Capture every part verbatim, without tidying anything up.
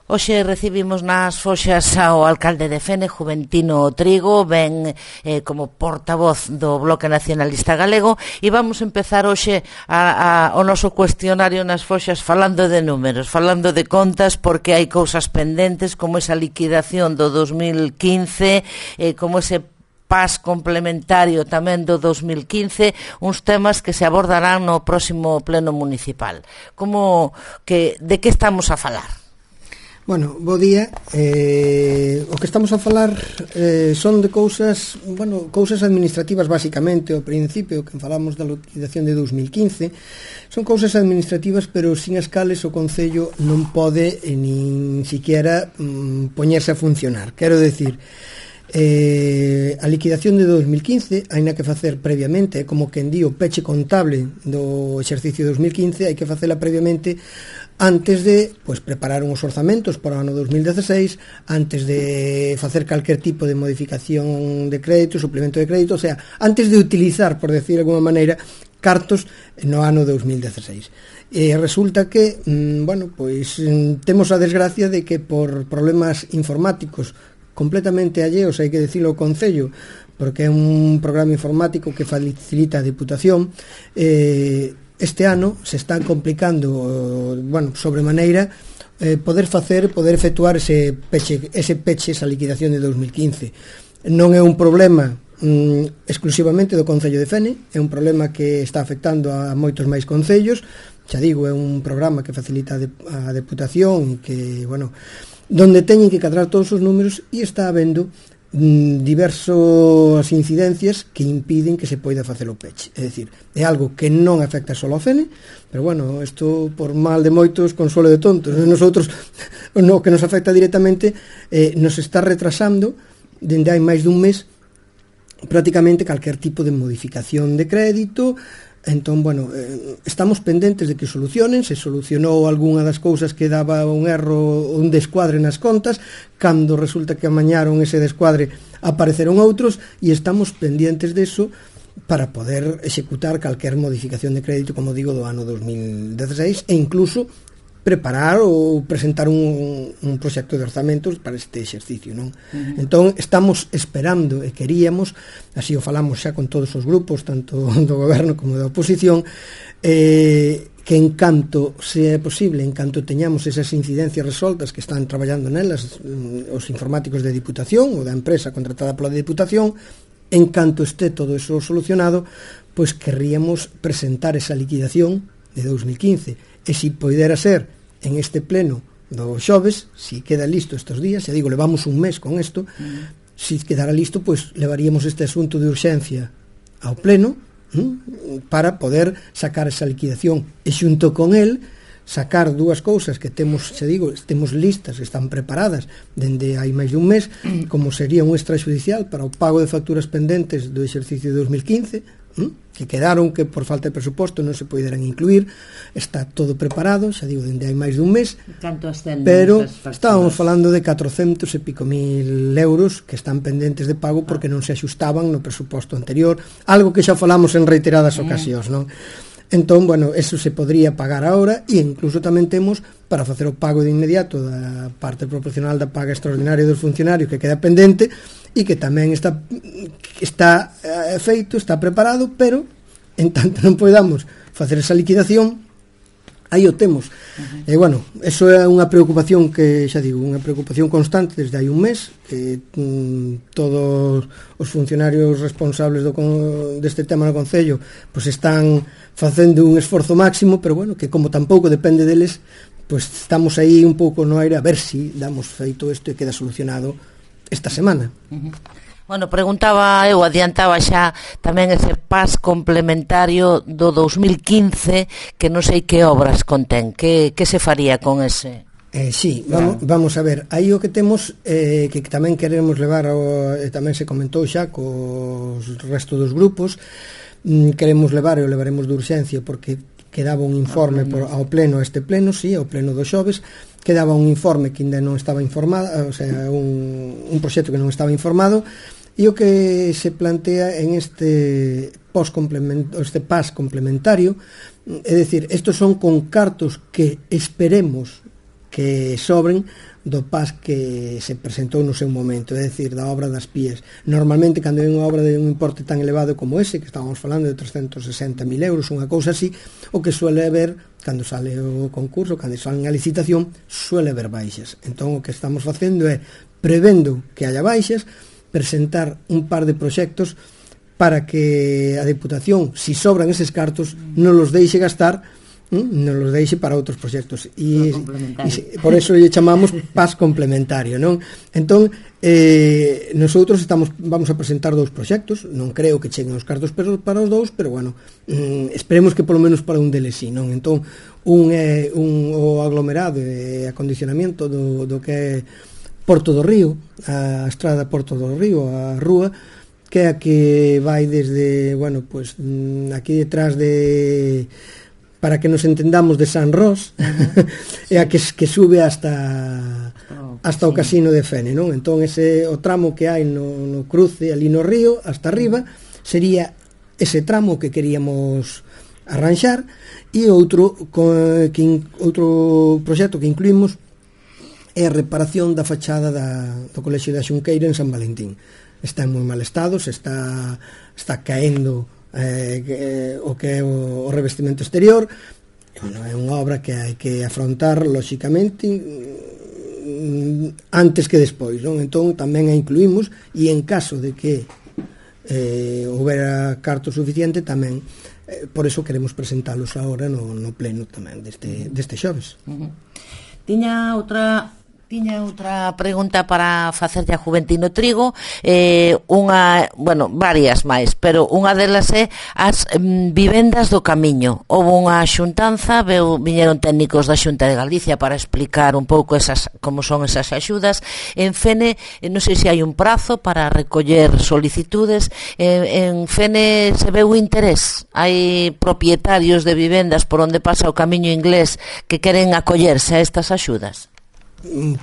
Hoxe recibimos nas foxas ao alcalde de Fene, Juventino Trigo, ben eh, como portavoz do Bloque Nacionalista Galego, e vamos empezar hoxe a, a, o noso cuestionario nas foxas falando de números, falando de contas, porque hai cousas pendentes como esa liquidación do dos mil quince, eh, como ese pas complementario tamén do dos mil quince, uns temas que se abordarán no próximo pleno municipal. Como que de que estamos a falar? Bueno, bo día. Eh, o que estamos a falar eh, son de cousas, bueno, cousas administrativas basicamente. Ao principio, que falamos da liquidación de dos mil quince, son cousas administrativas, pero sin as cales o Concello non pode eh, nin siquiera mm, poñerse a funcionar. Quero decir, eh, a liquidación de dos mil quince hai na que facer previamente, como quen di o peche contable do exercicio dos mil quince, hai que facela previamente antes de pues, preparar uns orzamentos para o ano dos mil dezasseis, antes de facer calquer tipo de modificación de crédito, suplemento de crédito, o sea, antes de utilizar, por decir de alguma maneira, cartos no ano dos mil dezasseis. E resulta que, mmm, bueno, pois temos a desgracia de que por problemas informáticos completamente alleos, hai que dicilo, ao Concello, porque é un programa informático que facilita a Diputación, eh, este ano se está complicando, bueno, sobremaneira, eh, poder facer, poder efectuar ese peche, ese peche, esa liquidación de dos mil quince. Non é un problema mm, exclusivamente do Concello de Fene, é un problema que está afectando a moitos máis concellos. Xa digo, é un programa que facilita a Deputación e que, bueno, donde teñen que cadrar todos os números, e está habendo diversas incidencias que impiden que se poida facer o peche. É dicir, é algo que non afecta só ao Fene, pero bueno, isto por mal de moitos, consuelo de tontos. Nosotros, no que nos afecta directamente, eh, nos está retrasando dende hai máis dun mes prácticamente calquer tipo de modificación de crédito. Entón, bueno, eh, estamos pendentes de que solucionen. Se solucionou algunha das cousas que daba un erro, un descuadre nas contas, cando resulta que amañaron ese descuadre apareceron outros, e estamos pendientes deso para poder executar calquer modificación de crédito, como digo, do ano dos mil dezasseis, e incluso preparar ou presentar un, un proxecto de orzamentos para este exercicio, non? Uh-huh. Entón, estamos esperando e queríamos, así o falamos xa con todos os grupos, tanto do goberno como da oposición, eh, que en canto sea posible, en canto teñamos esas incidencias resoltas que están traballando nelas os informáticos de Diputación ou da empresa contratada pola Diputación, en canto este todo eso solucionado, pois querríamos presentar esa liquidación de dos mil quince, e se poidera ser en este pleno do xoves, si queda listo estes días, xa digo, levamos un mes con isto, mm. si quedara listo, pois levaríamos este asunto de urxencia ao pleno, mm, para poder sacar esa liquidación, e xunto con el sacar dúas cousas que temos, xa digo, temos listas, están preparadas dende hai máis dun mes, mm. como sería un extrajudicial para o pago de facturas pendentes do exercicio de dos mil quince, que quedaron, que por falta de presuposto non se poderán incluir. Está todo preparado, xa digo, dende hai máis dun mes, pero estábamos falando de catrocentos e pico mil euros que están pendentes de pago porque non se axustaban no presuposto anterior, algo que xa falamos en reiteradas ocasións, non? Entón, bueno, eso se podría pagar agora, e incluso tamén temos para facer o pago de inmediato da parte proporcional da paga extraordinaria dos funcionarios que queda pendente, e que tamén está está eh, feito, está preparado, pero en tanto non podamos facer esa liquidación, aí o temos. Uh-huh. E bueno, eso é unha preocupación que, xa digo, unha preocupación constante desde hai un mes, que mm, todos os funcionarios responsables do, deste tema no Concello pois están facendo un esforzo máximo, pero bueno, que como tampouco depende deles, pois estamos aí un pouco no aire a ver si damos feito isto e queda solucionado esta semana. Uh-huh. Bueno, preguntaba eu, adiantaba xa tamén ese pas complementario do dos mil quince, que non sei que obras contén, que, que se faría con ese? Eh, sí, vamos, vamos a ver, aí o que temos, eh, que tamén queremos levar, ao, e tamén se comentou xa cos resto dos grupos, mm, queremos levar e o levaremos de urxencia, porque quedaba un informe por, ao pleno, a este pleno, sí, ao pleno do xoves, quedaba un informe que ainda non estaba informado, o sea, un, un proxecto que non estaba informado, e o que se plantea en este pos complemento, este pas complementario, é dicir, estos son con cartos que esperemos que sobren do P A S que se presentou no seu momento, é dicir, da obra das Pías. Normalmente, cando hai unha obra de un importe tan elevado como ese, que estábamos falando de trescentos sesenta mil euros, unha cousa así, o que suele haber, cando sale o concurso, cando sale a licitación, suele haber baixas. Entón, o que estamos facendo é, prevendo que haya baixas, presentar un par de proxectos para que a Deputación, si sobran eses cartos, non los deixe gastar, non los deixe para outros proxectos, e, e por eso lle chamamos P A S complementario, non? Entón, eh, nosotros estamos vamos a presentar dous proxectos, non creo que cheguen os cartos para os dous, pero bueno, mm, esperemos que polo menos para un deles sí, non? Entón, un é un, o aglomerado e acondicionamento do, do que é Porto do Río, a estrada Porto do Río, a rúa, que é a que vai desde, bueno, pues aquí detrás de, para que nos entendamos, de San Ros, uh-huh. é a que, que sube hasta oh, hasta sí. o Casino de Fene, non? Entón ese o tramo que hai no, no cruce ali no río hasta arriba sería ese tramo que queríamos arranxar, e outro que, outro proxecto que incluímos é a reparación da fachada da, do Colexio da Xunqueira en San Valentín. Está en moi mal estado, se está está caendo Eh, eh, o que é o, o revestimento exterior. Bueno, é unha obra que hai que afrontar lóxicamente mm, antes que despois, non? Entón tamén a incluímos, e en caso de que eh, houbera carto suficiente tamén, eh, por eso queremos presentalos agora no, no pleno tamén deste, deste xoves. Uh-huh. Tiña outra Tiña outra pregunta para facerlle a Juventino Trigo, eh, unha, bueno, varias máis, pero unha delas é as mm, vivendas do camiño. Houve unha xuntanza, veu, viñeron técnicos da Xunta de Galicia para explicar un pouco esas, como son esas axudas. En Fene, non sei se hai un prazo para recoller solicitudes, eh, en Fene se veu interés, hai propietarios de vivendas por onde pasa o camiño inglés que queren acollerse a estas axudas.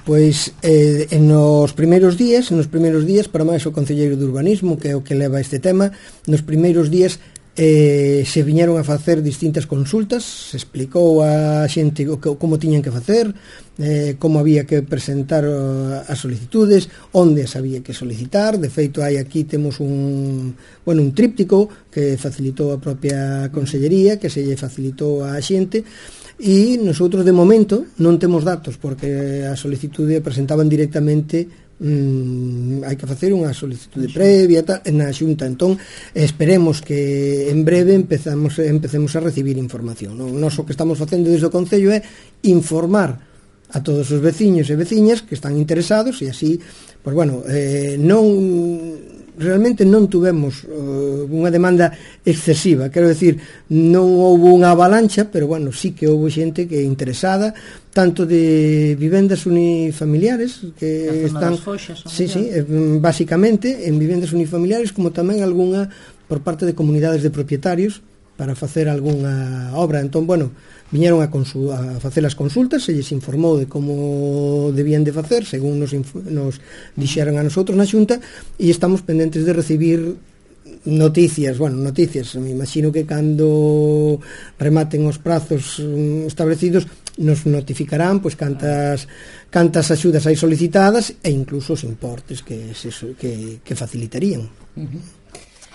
Pois eh, en nos primeiros días, nos primeiros días, para máis o Concelleiro de Urbanismo, que é o que leva este tema, nos primeiros días eh, se viñeron a facer distintas consultas, se explicou a xente o que, como tiñan que facer, eh, como había que presentar as solicitudes, onde as había que solicitar. De feito, hai aquí temos un, bueno, un tríptico que facilitou a propia Consellería, que se lle facilitou a xente. E nosotros de momento non temos datos, porque a solicitude presentaban directamente, mmm, hai que facer unha solicitude previa tal, na Xunta. Entón esperemos que en breve empezamos, empecemos a recibir información, non? Nos o que estamos facendo desde o Concello é informar a todos os veciños e veciñas que están interesados, e así, pois bueno, eh, non realmente non tuvemos uh, unha demanda excesiva, quero decir, non houve unha avalancha, pero bueno, sí que houve xente que é interesada, tanto de vivendas unifamiliares que están, foxas, sí, sí, eh, basicamente en vivendas unifamiliares, como tamén algunha por parte de comunidades de propietarios para facer algunha obra. Entón, bueno, viñeron a, consu- a facer as consultas, se lles informou de como debían de facer, según nos, inf- nos dixeran a nosotros na Xunta, e estamos pendentes de recibir noticias, bueno, noticias, me imagino que cando rematen os prazos um, establecidos nos notificarán pois cantas cantas axudas hai solicitadas e incluso os importes que, se, que, que facilitarían. Uh-huh.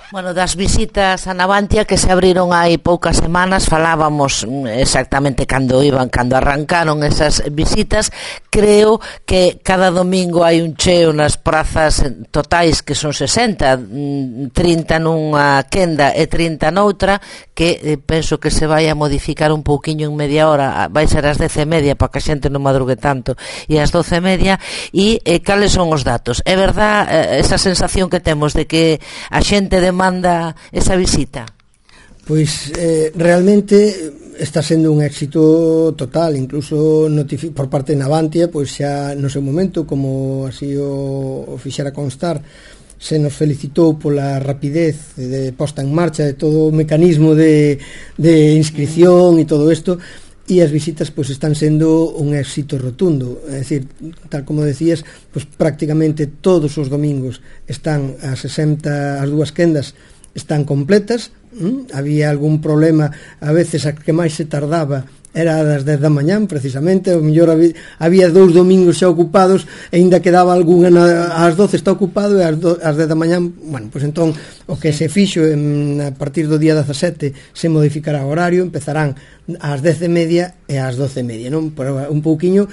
Bueno, das visitas a Navantia que se abriron hai poucas semanas, falábamos exactamente cando iban, cando arrancaron esas visitas. Creo que cada domingo hai un cheo nas prazas totais, que son sesenta, trinta nunha quenda e trinta noutra, que eh, penso que se vai a modificar un pouquiño en media hora, vai ser as dez e media para que a xente non madrugue tanto, e as doce e media. E eh, cales son os datos? É verdad eh, esa sensación que temos de que a xente de manda esa visita? Pois eh, realmente está sendo un éxito total, incluso notifi- por parte de Navantia, pois xa no seu momento, como así o, o fixera constar, se nos felicitou pola rapidez de posta en marcha de todo o mecanismo de, de inscripción e todo isto, e as visitas pois están sendo un éxito rotundo. É dicir, tal como decías, pois prácticamente todos os domingos están as sesenta, as dúas quendas están completas. ¿Mm? Había algún problema, a veces a que máis se tardaba era das dez da mañán precisamente, o mellor había, había dous domingos xa ocupados e ainda quedaba algunha na, ás doce está ocupado e ás, do, ás dez da mañán, bueno, pois entón o que se fixo en, a partir do día dezasete se modificará o horario, empezarán ás dez e media e ás doce e media, non? Por un pouquiño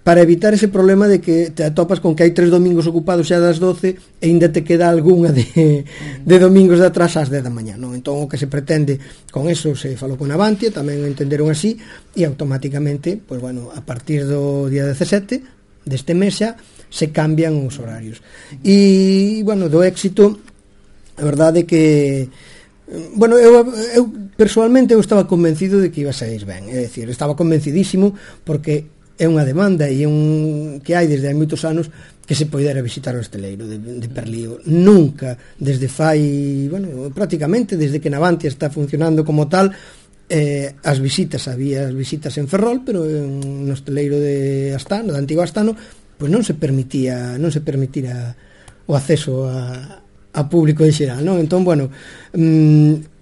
para evitar ese problema de que te atopas con que hai tres domingos ocupados xa das doce e ainda te queda algunha de, de domingos de atrás ás dez da mañá, non? Entón o que se pretende con eso se falou con Avantia, tamén o entenderon así e automáticamente, pois bueno, a partir do día dezasete deste mes xa se cambian os horarios. E, bueno, do éxito a verdade que bueno, eu, eu personalmente eu estaba convencido de que iba a sair ben, é dicir, estaba convencidísimo porque é unha demanda e un que hai desde hai moitos anos que se poidera visitar o esteleiro de, de Perlío. Nunca, desde fai, bueno, prácticamente desde que Navantia está funcionando como tal, eh, as visitas, había as visitas en Ferrol, pero en, no esteleiro de Astano, de Antigo Astano, pois non se permitía, non se permitira o acceso a, a público en xeral, non? Entón, bueno, mmm,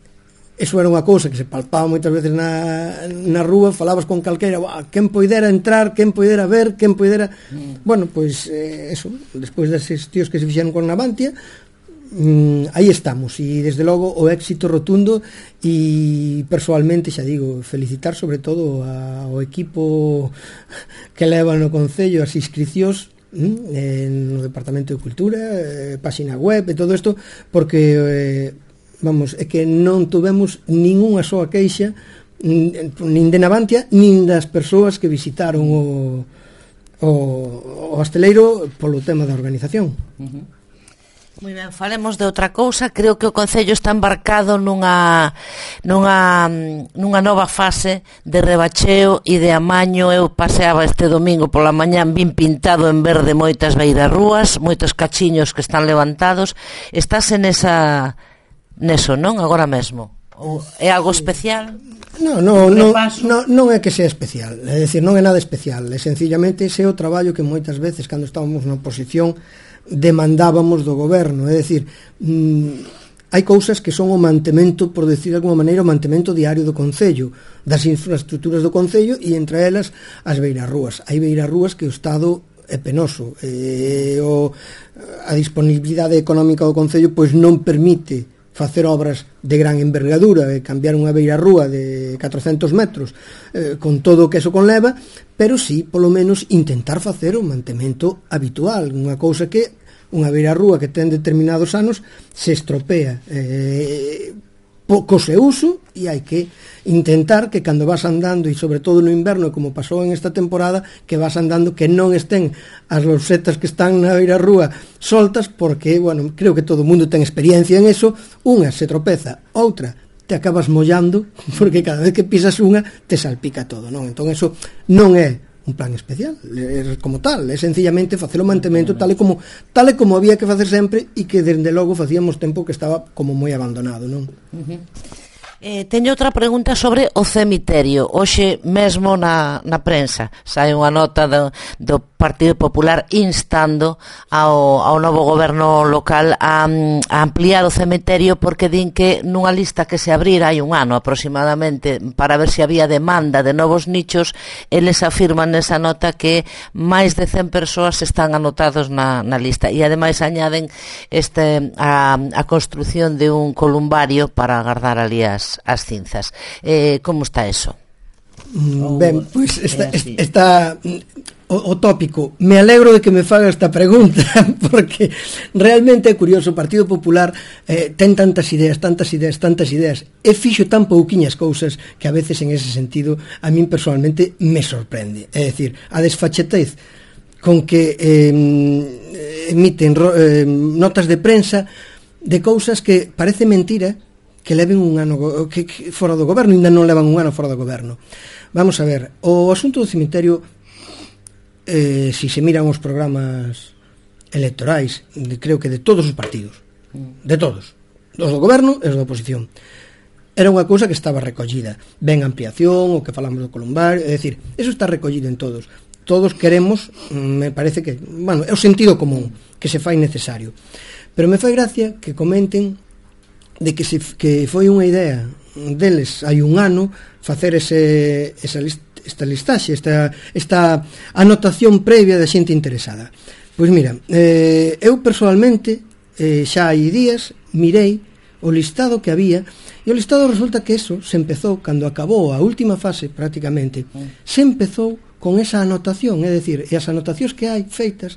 eso era unha cousa que se palpaba moitas veces na, na rúa, falabas con calqueira, quen poidera entrar, quen poidera ver, quen poidera... Mm. Bueno, pois eh, eso, despois deses tíos que se fixeron con Navantia, mm, aí estamos, e desde logo o éxito rotundo, e persoalmente, xa digo, felicitar sobre todo ao equipo que leva no Concello as inscricións, mm, no Departamento de Cultura, eh, páxina web e todo isto, porque... Eh, vamos, é que non tuvemos ningunha soa queixa nin de Navantia nin das persoas que visitaron o, o, o hosteleiro polo tema da organización. Uh-huh. Moi ben, falemos de outra cousa. Creo que o Concello está embarcado nunha nunha nunha nova fase de rebacheo e de amaño. Eu paseaba este domingo pola mañán, vin pintado en verde moitas beirarrúas, moitos cachiños que están levantados. Estás en esa neso, non? Agora mesmo. Ou é algo especial? No, no, no, no, non é que sea especial, é dicir, non é nada especial, é sencillamente ese é o traballo que moitas veces cando estábamos na oposición demandábamos do goberno, é dicir, mmm, hai cousas que son o mantemento, por decir de alguma maneira, o mantemento diario do Concello, das infraestructuras do Concello, e entre elas as beirarrúas. Hai beirarrúas que o Estado é penoso, e o, a disponibilidade económica do Concello pois non permite facer obras de gran envergadura, e cambiar unha beirarrúa de catrocentos metros eh, con todo o que eso conleva, pero sí, polo menos, intentar facer o mantemento habitual, unha cousa que unha beirarrúa que ten determinados anos se estropea eh, co seu uso, e hai que intentar que cando vas andando, e sobre todo no inverno, como pasou en esta temporada, que vas andando que non estén as losetas que están na beirarrúa soltas, porque, bueno, creo que todo o mundo ten experiencia en eso. Unha se tropeza, outra te acabas mollando, porque cada vez que pisas unha te salpica todo, non? Entón eso non é un plan especial, é como tal, é sencillamente facer o mantemento tal e como tal e como había que facer sempre, e que desde logo facíamos tempo que estaba como moi abandonado, non? Uh-huh. Eh, teño outra pregunta sobre o cemiterio. Hoxe mesmo na, na prensa sai unha nota do, do Partido Popular instando ao, ao novo goberno local a, a ampliar o cemiterio, porque din que nunha lista que se abrira hai un ano aproximadamente para ver se había demanda de novos nichos, eles afirman nesa nota que máis de cen persoas están anotados na, na lista, e ademais añaden este, a, a construción de un columbario para agardar ali as as cinzas. Eh, como está eso? Mm, ben, pois pues está, está o, o tópico. Me alegro de que me faga esta pregunta, porque realmente é curioso. O Partido Popular eh, ten tantas ideas, tantas ideas, tantas ideas, e fixo tan pouquiñas cousas que a veces en ese sentido a min personalmente me sorprende. É dicir, a desfachetez con que eh, emiten eh, notas de prensa de cousas que parece mentira que leven un ano que, que fora do goberno, ainda non levan un ano fora do goberno. Vamos a ver, o asunto do cemiterio, eh, si se miran os programas electorais, de, creo que de todos os partidos, de todos, os do goberno e os da oposición, era unha cousa que estaba recollida. Ben ampliación, o que falamos do columbario, é dicir, eso está recollido en todos. Todos queremos, me parece que, bueno, é o sentido común que se fai necesario. Pero me fai gracia que comenten de que, se, que foi unha idea deles hai un ano facer ese, esa list, esta listaxe, esta, esta anotación previa da xente interesada. Pois mira, eh, eu personalmente eh, xa hai días mirei o listado que había, e o listado resulta que eso se empezou cando acabou a última fase prácticamente, se empezou con esa anotación, é dicir, e as anotacións que hai feitas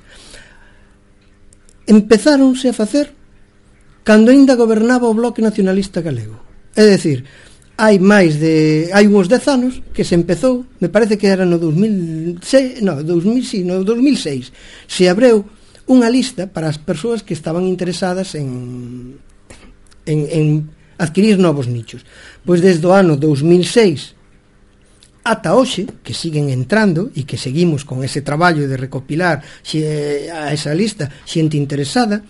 empezáronse a facer cando aínda gobernaba o Bloque Nacionalista Galego. É dicir, hai máis de hai uns dez anos que se empezou, me parece que era no dos mil seis, no, dos mil, sí, no dos mil seis, se abreu unha lista para as persoas que estaban interesadas en en, en adquirir novos nichos. Pois desde o ano dos mil seis ata hoxe, que siguen entrando e que seguimos con ese traballo de recopilar xe, a esa lista xente interesada,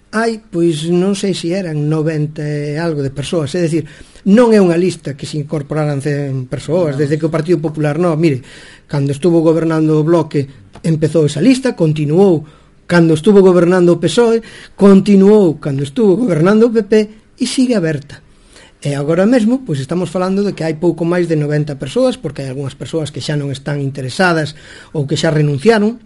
hai, pois non sei se eran noventa e algo de persoas, é dicir, non é unha lista que se incorporaran cen persoas no. Desde que o Partido Popular, non, mire, cando estuvo gobernando o Bloque empezou esa lista, continuou cando estuvo gobernando o P S O E, continuou cando estuvo gobernando o P P e sigue aberta. E agora mesmo, pois estamos falando de que hai pouco máis de noventa persoas, porque hai algunhas persoas que xa non están interesadas ou que xa renunciaron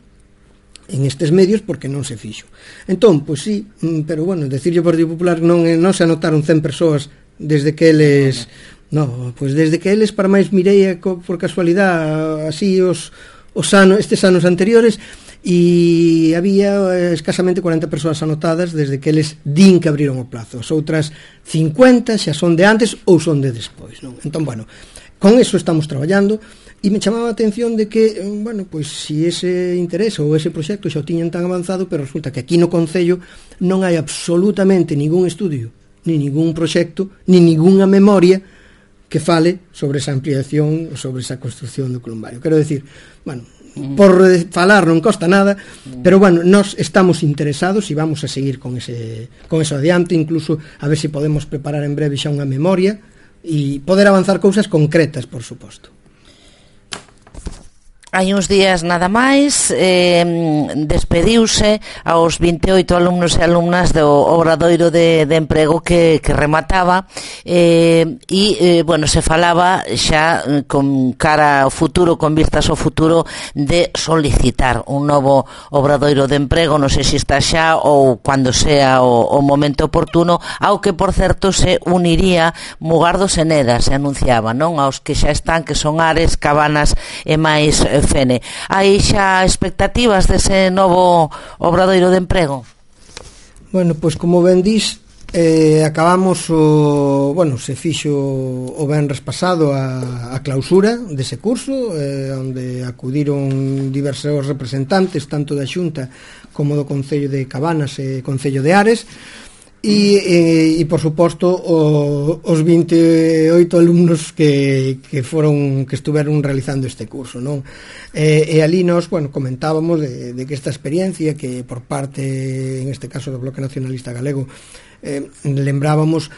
en estes medios porque non se fixo. Entón, pois sí, pero bueno, decirlle ao Partido Popular non, non se anotaron cen persoas desde que eles... No, pois desde que eles, para máis mirei por casualidade así os, os anos, estes anos anteriores, e había escasamente cuarenta persoas anotadas desde que eles din que abriron o plazo. As outras cincuenta xa son de antes ou son de despois, non? Entón, bueno, con eso estamos traballando e me chamaba a atención de que, bueno, pois si ese interés ou ese proxecto xa o tiñan tan avanzado, pero resulta que aquí no Concello non hai absolutamente ningún estudio, ni ningún proxecto, ni ningunha memoria que fale sobre esa ampliación, sobre esa construcción do columbario. Quero decir, bueno, por falar non costa nada, pero bueno, nós estamos interesados e vamos a seguir con ese con eso adiante, incluso a ver se podemos preparar en breve xa unha memoria e poder avanzar cousas concretas, por suposto. Hai uns días nada máis eh, despediuse aos vinte e oito alumnos e alumnas do obradoiro de, de emprego que, que remataba eh, e, eh, bueno, se falaba xa con cara ao futuro, con vistas ao futuro de solicitar un novo obradoiro de emprego, non sei se está xa ou cando sea o, o momento oportuno, ao que, por certo, se uniría Mugardos e Neda, se anunciaba, non? Aos que xa están, que son Ares, Cabanas e máis Fene. Hai xa expectativas dese novo obradoiro de emprego? Bueno, pois como ben dís, eh, acabamos o, bueno, se fixo o venres pasado a, a clausura dese curso, eh, onde acudiron diversos representantes tanto da Xunta como do Concello de Cabanas e Concello de Ares. E, e, e por suposto o, os vinte e oito alumnos que, que foron que estuveron realizando este curso, non? E, e ali nos, bueno, comentábamos de, de que esta experiencia que por parte, en este caso do Bloque Nacionalista Galego, eh, lembrábamos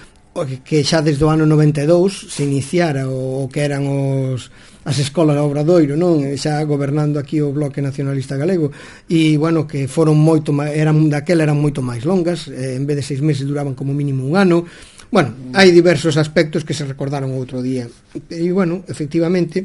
que xa desde o ano noventa e dous se iniciara o, o que eran os as escolas de Obradoiro, non? Xa gobernando aquí o Bloque Nacionalista Galego, e, bueno, que foron moito eran daquela eran moito máis longas, eh, en vez de seis meses duraban como mínimo un ano. Bueno, hai diversos aspectos que se recordaron outro día. E, bueno, efectivamente,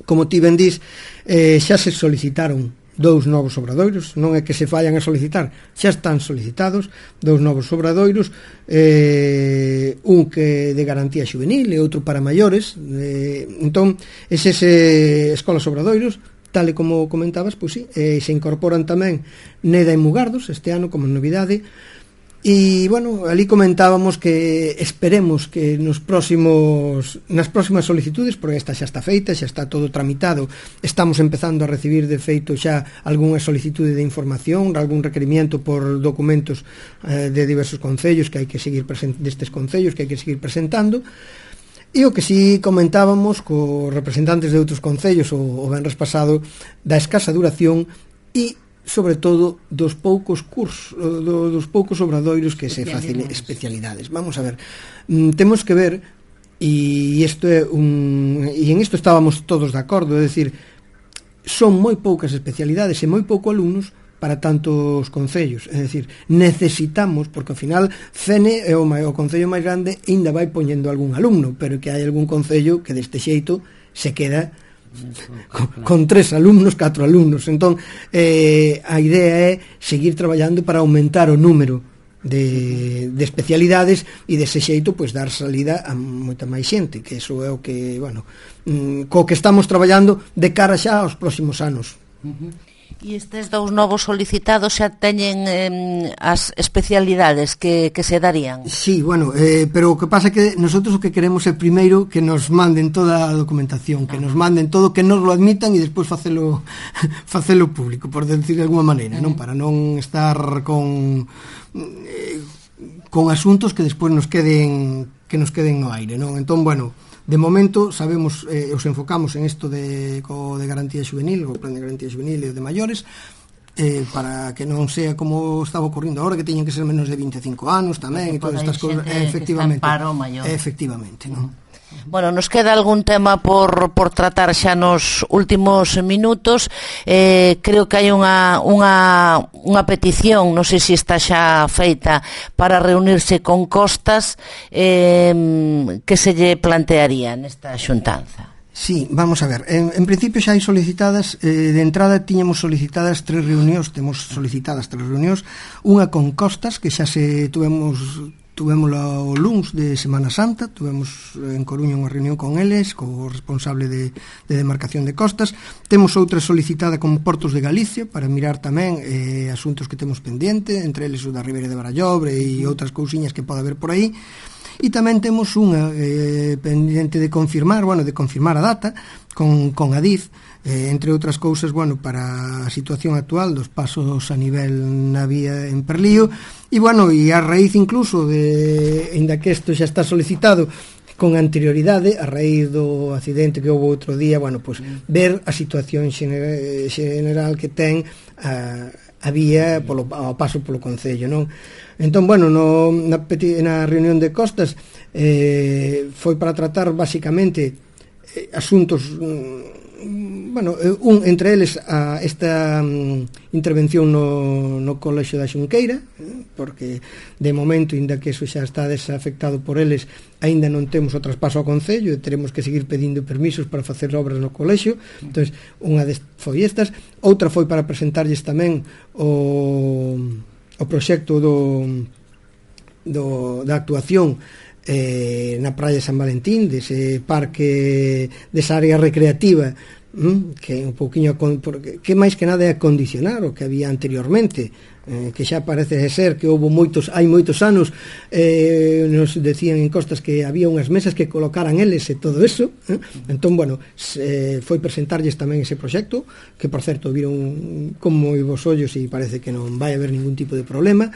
como ti ben dís, eh, xa se solicitaron dous novos obradoiros, non é que se fallan a solicitar, xa están solicitados dous novos obradoiros, eh, un que de garantía xuvenil e outro para maiores. Eh, entón, eses eh, escolas obradoiros, tal e como comentabas, pois sí, eh, se incorporan tamén Neda e Mugardos este ano como novidade. E, bueno, ali comentábamos que esperemos que nos próximos nas próximas solicitudes, porque esta xa está feita, xa está todo tramitado, estamos empezando a recibir de feito xa algunha solicitude de información, algún requerimiento por documentos eh, de diversos concellos que hai que seguir present- destes concellos que hai que seguir presentando. E o que si comentábamos cos representantes de outros concellos o, o venres pasado, da escasa duración e sobre todo dos poucos cursos, do, dos poucos obradoiros que se facen especialidades. Vamos a ver, mm, temos que ver, e isto é un e en isto estábamos todos de acordo, é dicir, son moi poucas especialidades e moi pouco alumnos para tantos concellos, é dicir, necesitamos, porque ao final Fene é o, o concello máis grande e ainda vai poñendo algún alumno, pero que hai algún concello que deste xeito se queda con, con tres alumnos, catro alumnos. Entón, eh, a idea é seguir traballando para aumentar o número de, de especialidades e dese xeito pois dar salida a moita máis xente, que iso é o que, bueno, co que estamos traballando de cara xa aos próximos anos. Uh-huh. E estes dous novos solicitados xa teñen eh, as especialidades que, que se darían? Sí, bueno, eh, pero o que pasa é que nosotros o que queremos é primeiro que nos manden toda a documentación, que nos manden todo, que nos lo admitan e despois facelo facelo público, por decir de alguma maneira, non? Para non estar con eh, con asuntos que despois nos queden que nos queden no aire, non? Entón, bueno, de momento sabemos, eh, os enfocamos en isto de, co de garantía juvenil, o plan de garantía juvenil e o de maiores, eh, para que non sea como estaba ocurrindo agora, que teñen que ser menos de vinte e cinco anos tamén, e todas estas cousas, eh, efectivamente, paro maior. Efectivamente, non? Bueno, nos queda algún tema por, por tratar xa nos últimos minutos. Eh, creo que hai unha, unha, unha petición, non sei se está xa feita, para reunirse con Costas, eh, que se lle plantearía nesta xuntanza. Sí, vamos a ver, en, en principio xa hai solicitadas, eh, de entrada tiñamos solicitadas tres reunións, temos solicitadas tres reunións, unha con Costas, que xa se tuvemos tuvémola o luns de Semana Santa, tuvemos en Coruña unha reunión con eles, co responsable de, de demarcación de costas. Temos outra solicitada con Portos de Galicia para mirar tamén eh, asuntos que temos pendiente, entre eles o da Ribeira de Barallobre e outras cousiñas que pode haber por aí. E tamén temos unha eh, pendiente de confirmar, bueno, de confirmar a data con, con Adif, eh, entre outras cousas, bueno, para a situación actual dos pasos a nivel na vía en Perlío, e bueno, e a raíz incluso de, ainda que isto xa está solicitado con anterioridade, a raíz do accidente que houve outro día, bueno, pues ver a situación xener, general que ten a, a vía polo, ao paso polo concello, non? Entón, bueno, no, na, na reunión de Costas eh, foi para tratar basicamente eh, asuntos, mm, bueno, un entre eles a esta mm, intervención no, no Colexio da Xunqueira, eh, porque de momento, inda que eso xa está desafectado por eles, aínda non temos o traspaso ao concello e teremos que seguir pedindo permisos para facer obras no colexio. Entón, unha foi estas, outra foi para presentarlles tamén o o proxecto do, do, da actuación eh, na praia de San Valentín, dese parque, desa área recreativa, mm, que un pouquiño, que máis que nada é acondicionar o que había anteriormente, eh, que xa parece ser que houve moitos, hai moitos anos, eh, nos decían en Costas que había unhas mesas que colocaran eles e todo eso, eh? Entón, bueno, se, foi presentarlles tamén ese proxecto, que por certo viron como vos ollos e parece que non vai haber ningún tipo de problema.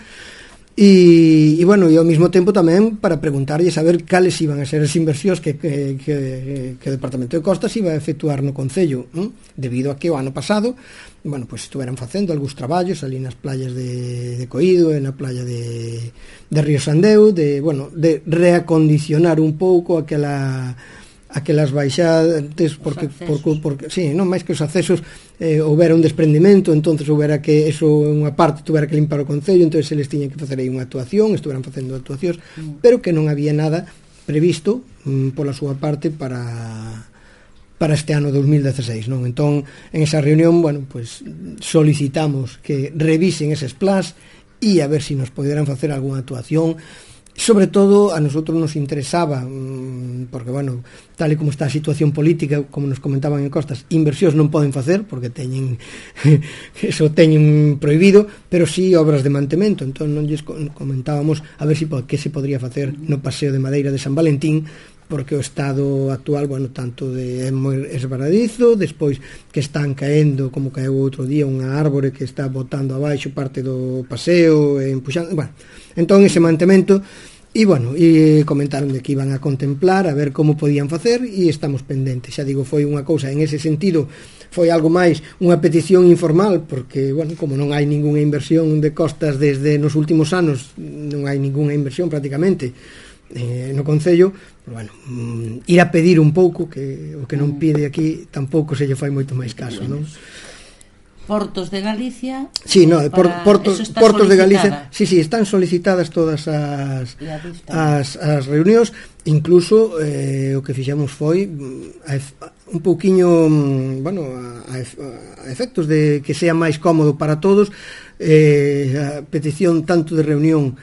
E, e bueno, e ao mesmo tempo tamén para preguntarlles a ver cales iban a ser as inversións que, que, que, que o Departamento de Costas iba a efectuar no Concello, ¿eh? Debido a que o ano pasado, bueno, pues estuveran facendo algúns traballos ali nas playas de, de Coído e na playa de, de Río Sandeu, de, bueno, de reacondicionar un pouco aquela aquelas baixantes, porque, porque, porque sí, non máis que os accesos eh, houbera un desprendimento, entonces houbera que eso unha parte tuvera que limpar o concello, entonces eles tiñan que facer aí unha actuación, estuveran facendo actuacións, mm. pero que non había nada previsto mm, pola súa parte para para este ano dos mil dieciséis, non? Entón, en esa reunión, bueno, pues solicitamos que revisen eses plans e a ver se si nos poderan facer algunha actuación. Sobre todo a nosotros nos interesaba, porque, bueno, tal e como está a situación política, como nos comentaban en Costas, inversións non poden facer porque teñen eso teñen prohibido, pero sí obras de mantemento. Entón non lles comentábamos a ver si que se podría facer no Paseo de Madeira de San Valentín, porque o estado actual, bueno, tanto de é moi esbaradizo, despois que están caendo, como caeu outro día, unha árbore que está botando abaixo parte do paseo, e empuxando, bueno, entón ese mantemento, e bueno, e comentaron de que iban a contemplar, a ver como podían facer, e estamos pendentes. Xa digo, foi unha cousa, en ese sentido, foi algo máis unha petición informal, porque, bueno, como non hai ningunha inversión de Costas desde nos últimos anos, non hai ningunha inversión prácticamente, Eh, no Concello, pero bueno, mm, ir a pedir un pouco, que o que non pide aquí tampouco se lle fai moito máis caso, non? Portos de Galicia. Sí, no, por, Portos, Portos de Galicia. Sí, sí, están solicitadas todas as as, as reunións, incluso eh, o que fixemos foi a, un pouquiño, bueno, a, a efectos de que sea máis cómodo para todos, eh, a petición tanto de reunión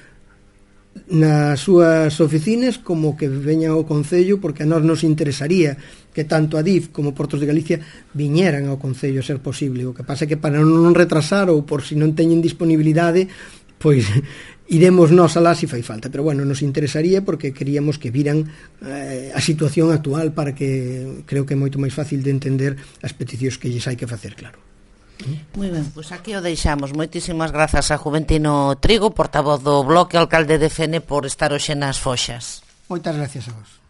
nas súas oficinas como que veña ao Concello, porque a nós nos interesaría que tanto a D I F como Portos de Galicia viñeran ao Concello a ser posible. O que pasa é que para non retrasar ou por si non teñen disponibilidade, pois iremos nós alá se fai falta, pero bueno, nos interesaría porque queríamos que viran eh, a situación actual, para que creo que é moito máis fácil de entender as peticións que lles hai que facer, claro. Moi ben, pois aquí o deixamos. Moitísimas grazas a Juventino Trigo, portavoz do Bloque, alcalde de Fene, por estar hoxe nas Foxas. Moitas gracias a vos.